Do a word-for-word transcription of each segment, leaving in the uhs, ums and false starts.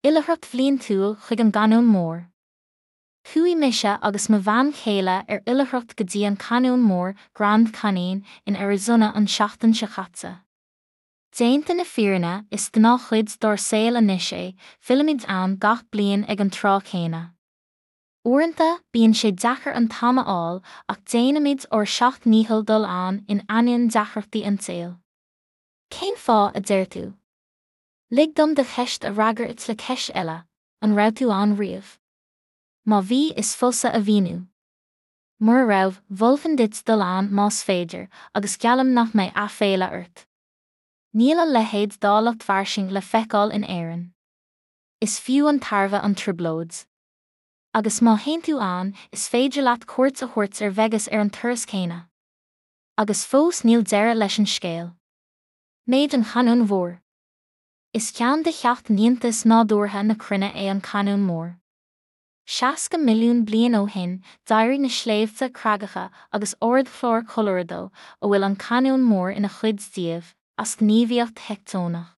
Oilithreacht bhliantúil chuig an gCainneon Mór. Chuaigh mise agus mo bhean chéile ar oilithreacht go dtí an Cainneon Mór Grand Canyon in Arizona an tseachtain seo caite. Déanta na fírinne, is gnáthchuid dár saol anois é, fillimid ann gach bliain ag an tráth céanna. Uaireanta, bíonn sé deacair an t-am a fháil ach déanaimid ár seacht ndícheall dul ann in ainneoin deacrachtaí an tsaoil. Cén fáth a deir tú? Lig dom do cheist a fhreagairt le ceist eile, an raibh tú ann riamh? Má bhí, is fusa a mhíniú. Mura raibh, mholfainn duit dul ann más féidir, agus geallaim nach mbeidh aiféala ort. Níl a leithéid d'áilleacht fhairsing le feiceáil in Éirinn. Is fiú an tairbhe an trioblóid. Agus má théann tú ann, is féidir leat cuairt a thabhairt ar Vegas ar an turas céanna. Agus fós níl deireadh leis an scéal. Méid an Chainneoin Mhóir. Is ceann de sheacht n-iontas nádúrtha na cruinne é an Cainneon Mór. Seasca milliún bliain ó shin, d'éirigh na sléibhte creagacha agus ardchlár Colorado, a bhfuil an Cainneon Mór ina chuid díobh, as gníomhaíocht theicteonach.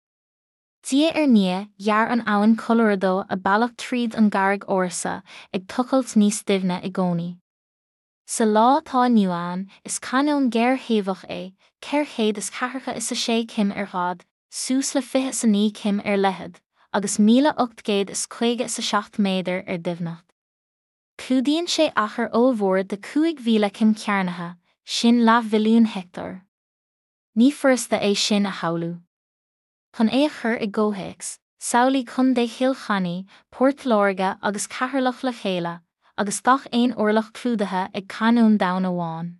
Diaidh ar ndiaidh, ghearr an abhainn Colorado a bealach tríd an gcarraig ársa, ag tochailt níos doimhne i gcónaí. Sa lá atá inniu ann, is cainneon géarthaobhach é, ceithre chéad is ceathracha is a sé cm ar fhad, suas le fiche is a naoi cm ar leithead, agus míle ocht gcéad is caoga is a seacht méadar ar doimhneacht. Clúdaíonn sé achar ollmhór de cúig mhíle cm cearnaithe, sin leathmhilliún heicteár. Ní furasta é sin a shamhlú. Chun é a chur i gcomhthéacs, samhlaigh Contae Chill Chainnigh, Port Láirge agus Ceatharlach le chéile, agus gach aon orlach clúdaithe ag cainneon domhain amháin.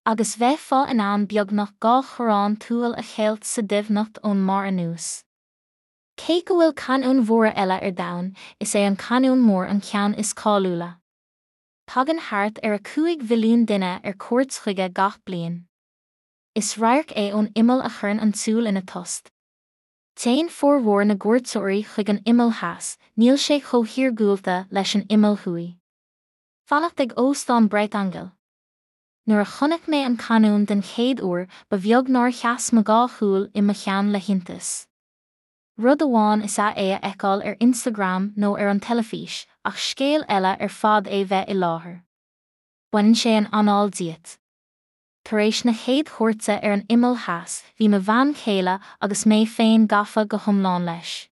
Agus bheifeá in ann beagnach dhá chorrán tuathail a cheilt sa doimhneacht ón mbarr anuas. Cé go bhfuil cainneoin mhóra eile ar domhan, is é an Cainneon Mór an ceann is cáiliúla. Tagann thart ar a cúig mhilliún duine ar cuairt chuige gach bliain. Is radharc é ón imeall a chuireann an tsúil ina tost. Téann formhór na gcuairteoirí chuig an imeall theas, níl sé chomh hiargúlta leis an imeall thuaidh. Fanacht ag Óstán Bright Angel. Nuair a chonaic mé an cainneon den chéad uair, ba bheag nár sheas mo dhá shúil i mo cheann le hiontas. Rud amháin is ea é a fheiceáil ar Instagram nó ar an teilifís, ach scéal eile ar fad é bheith i láthair. Baineann sé an anáil díot. Tar éis na chéad chuairte ar an imeall theas, bhí mo bhean chéile agus mé féin gafa go hiomlán leis.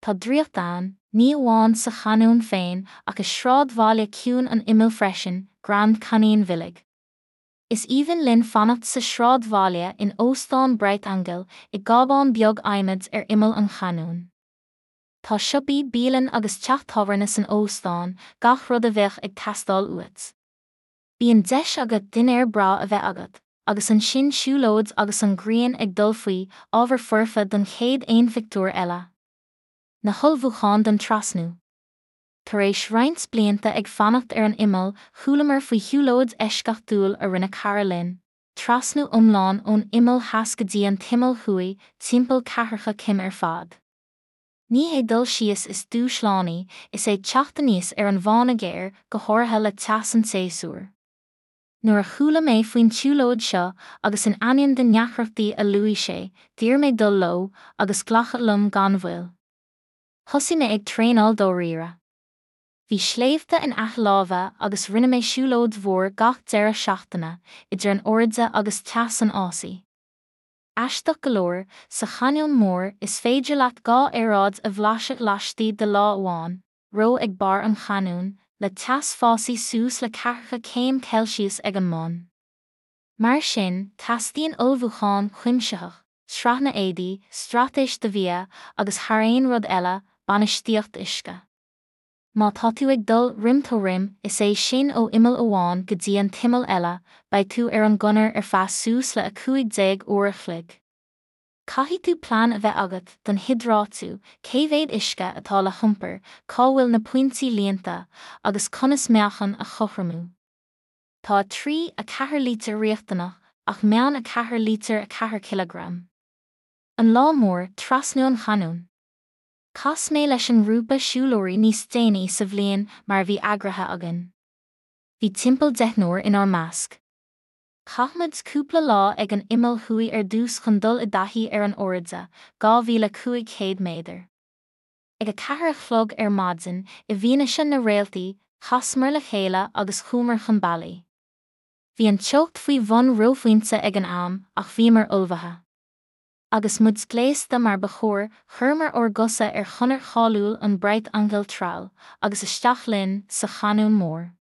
Tá draíocht ann, ní amháin sa chainneon féin ach i sráidbhaile ciúin an imill freisin, Grand Canyon Village. Is aoibhinn linn fanacht sa sráidbhaile in Óstán Bright Angel i gcábán beag adhmaid ar imeall an chainneoin. Tá siopaí, bialann agus teach tábhairne san óstán, gach rud a bheadh ag teastáil uait. Bíonn deis agat dinnéar breá a bheith agat, agus ansin siúlóid agus an ghrian ag dul faoi, ábhar foirfe don chéad aon phictiúr eile. Na hullmhúcháin don trasnú. Tar éis roinnt blianta ag fanacht ar an imeall, chualamar faoi shiúlóid eisceachtúil a rinne cara linn, trasnú iomlán ón imeall theas go dtí an t-imeall thuaidh, timpeall ceathracha cm ar fad. Ní hé dul síos is dúshlánaí, is é teacht aníos ar an bhfána géar, go háirithe le teas an tséasúir. Nuair a chuala mé faoin tsiúlóid seo agus in ainneoin na ndeacrachtaí a luaigh sé, d'iarr mé dul leo, agus glacadh liom gan mhoill. Thosaigh mé ag traenáil dáiríre. Bhí sléibhte in aice láimhe agus rinne mé siúlóid mhór gach deireadh seachtaine, idir an airde agus teas an fhásaigh. Aisteach go leor, sa Chainneon Mór is féidir leat dhá aeráid a bhlaiseadh laistigh de lá amháin, reo ag barr an chainneoin, le teas fásaigh suas le ceathracha céim Celsius ag an mbun. Mar sin, teastaíonn ullmhúchán cuimsitheach, sraitheanna éadaí, straitéis do bhia, agus thar aon rud eile, bainistíocht uisce. Má tá tú ag dul rim to rim, is é sin ó imeall amháin go dtí an t-imeall eile, beidh tú ar an gconair ar feadh suas le a cúig déag uair a chloig. Caithfidh tú plean a bheith agat don hiodrátú, cé mhéad uisce atá le hiompar, cá bhfuil na pointí líonta, agus conas meáchan a chothromú. Tá a trí, a ceathair lítear riachtanach, ach meán a ceathair lítear a ceathair cileagram. An lá mór, trasnú an chainneoin. Chas mé leis an ngrúpa siúlóirí níos déanaí sa bhliain mar a bhí eagraithe againn. Bhí timpeall deichniúr inár measc. Chaith muid cúpla lá ag an imeall thuaidh ar dtús chun dul i dtaithí ar an airde, dhá mhíle cúig chéad méadar. Ag a ceathair a chlog ar maidin, i bhfianaise na réaltaí, chasamar le chéile agus chuamar chun bealaigh. Bhí an teocht faoi bhun reophointe ag an am, ach bhíomar ullmhaithe. Agus muid gléasta mar ba chóir, chuireamar ár gcosa ar chonair cháiliúil an Bright Angel Trail, agus isteach linn sa Chainneon Mór.